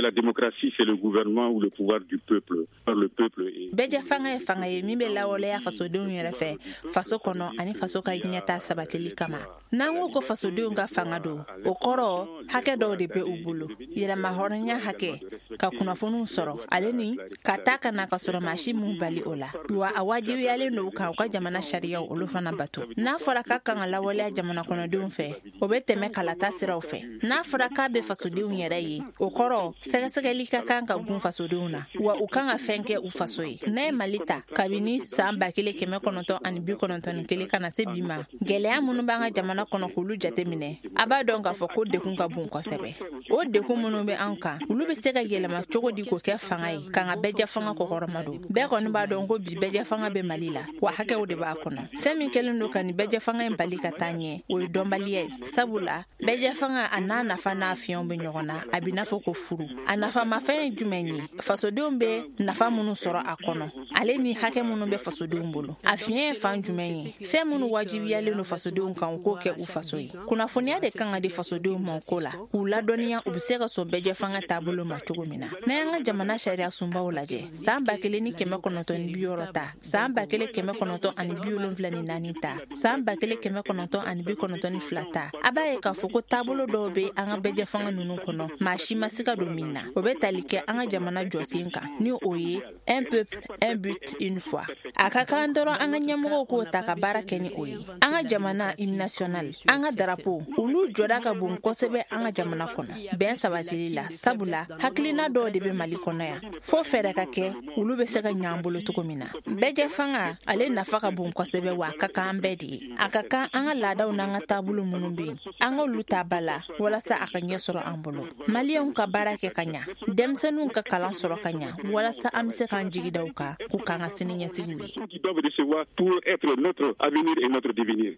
La démocratie, c'est le gouvernement ou le pouvoir du peuple, par le peuple. Bɛɛjɛ fanga ye fanga ye min bɛ lawaleya fasodenw yɛrɛ fɛ faso kɔnɔ ani faso ka ɲɛta sabatili kama. N'an ko ko fasodenw ka fanga don, o kɔrɔ, hakɛ dɔw de bɛ u bolo: yɛrɛma hɔrɔnya hakɛ, ka kunnafoniw sɔrɔ, ale ni ka taa ka na ka sɔrɔ maa si m'u bali o la. Wa a wajibiyalen don u kan u ka jamana sariyaw, olu fana bato. N'a fɔra k'a kan ka lawaleya jamana kɔnɔdenw fɛ, o bɛ tɛmɛ kalata siraw fɛ. N'a fɔra k'a bɛ fasodenw yɛrɛ ye, o kɔrɔ, sɛgɛsɛgɛli ka kan ka gun fasodenw na, wa u kan ka fɛn kɛ u faso ye. N'a ye Mali ta, kabini saan 1991 ka na se bi ma, gwɛlɛya minnu b'an ka jamana kɔnɔ, k'olu jate minɛ, a b'a dɔn k'a fɔ ko dekun ka bon kosɛbɛ. O dekun minnu bɛ an kan, olu bɛ se ka yɛlɛma cogo di k'o kɛ fanga ye k'an ka bɛɛjɛ fanga kɔkɔrɔma don? Bɛɛ kɔni b'a dɔn ko bi bɛɛjɛ fanga bɛ Mali la, wa hakɛw de b'a kɔnɔ. Fɛn min kɛlen don ka nin bɛɛjɛ fanga in bali ka taa ɲɛ, o ye dɔnbaliya ye, sabula bɛɛjɛ fanga, a n'a nafa n'a fiɲɛw bɛ ɲɔgɔn na, a b'i n'a fɔ ko furu. A nafamafɛn ye jumɛn ye? Fasodenw bɛ nafa minnu sɔrɔ a kɔnɔ, ale ni hakɛ minnu bɛ fasodenw bolo. A fiɲɛ ye fan jumɛn ye? Fɛn minnu wajibiyalen don fasodenw kan u k'o kɛ u faso ye. Kunnafoniya de kan ka di fasodenw ma o ko la, k'u ladɔnniya u bɛ se ka sɔn bɛɛjɛ fanga taabolo ma cogo min na. N'an y'an ka jamana sariya sunbaw lajɛ, saan 1960 ta, saan 1974 ta, saan 1992 ta, a b'a ye k'a fɔ ko taabolo dɔw bɛ an ka bɛɛjɛ fanga ninnu kɔnɔ, maa si ma siga don min na. O bɛ tali kɛ an ka jamana jɔsen kan, ni o ye "un peuple, un but, une foi". A ka kan dɔrɔn an ka ɲɛmɔgɔw k'o ta ka baara kɛ ni o ye. An ka jamana hymne national, an ka darapo, olu jɔda ka bon kosɛbɛ an ka jamana kɔnɔ bɛn sabatili la, sabula hakilina dɔw de bɛ Mali kɔnɔ yan fo fɛɛrɛ ka kɛ olu bɛ se ka ɲan bolo cogo min na. Bɛɛjɛ fanga, ale nafa ka bon kosɛbɛ, wa a ka kan an bɛɛ de ye. A ka kan an ka laadaw n'an ka taabolo minnu bɛ yen, an k'olu ta ba la walasa a ka ɲɛ sɔrɔ an bolo. Maliyɛnw ka baara kɛ ka ɲa, denmisɛnninw ka kalan sɔrɔ ka ɲa, walasa an bɛ se k'an jigi da u kan k'u k'an ka sini ɲɛsigiw ye. Qui doivent recevoir pour être notre avenir et notre devenir.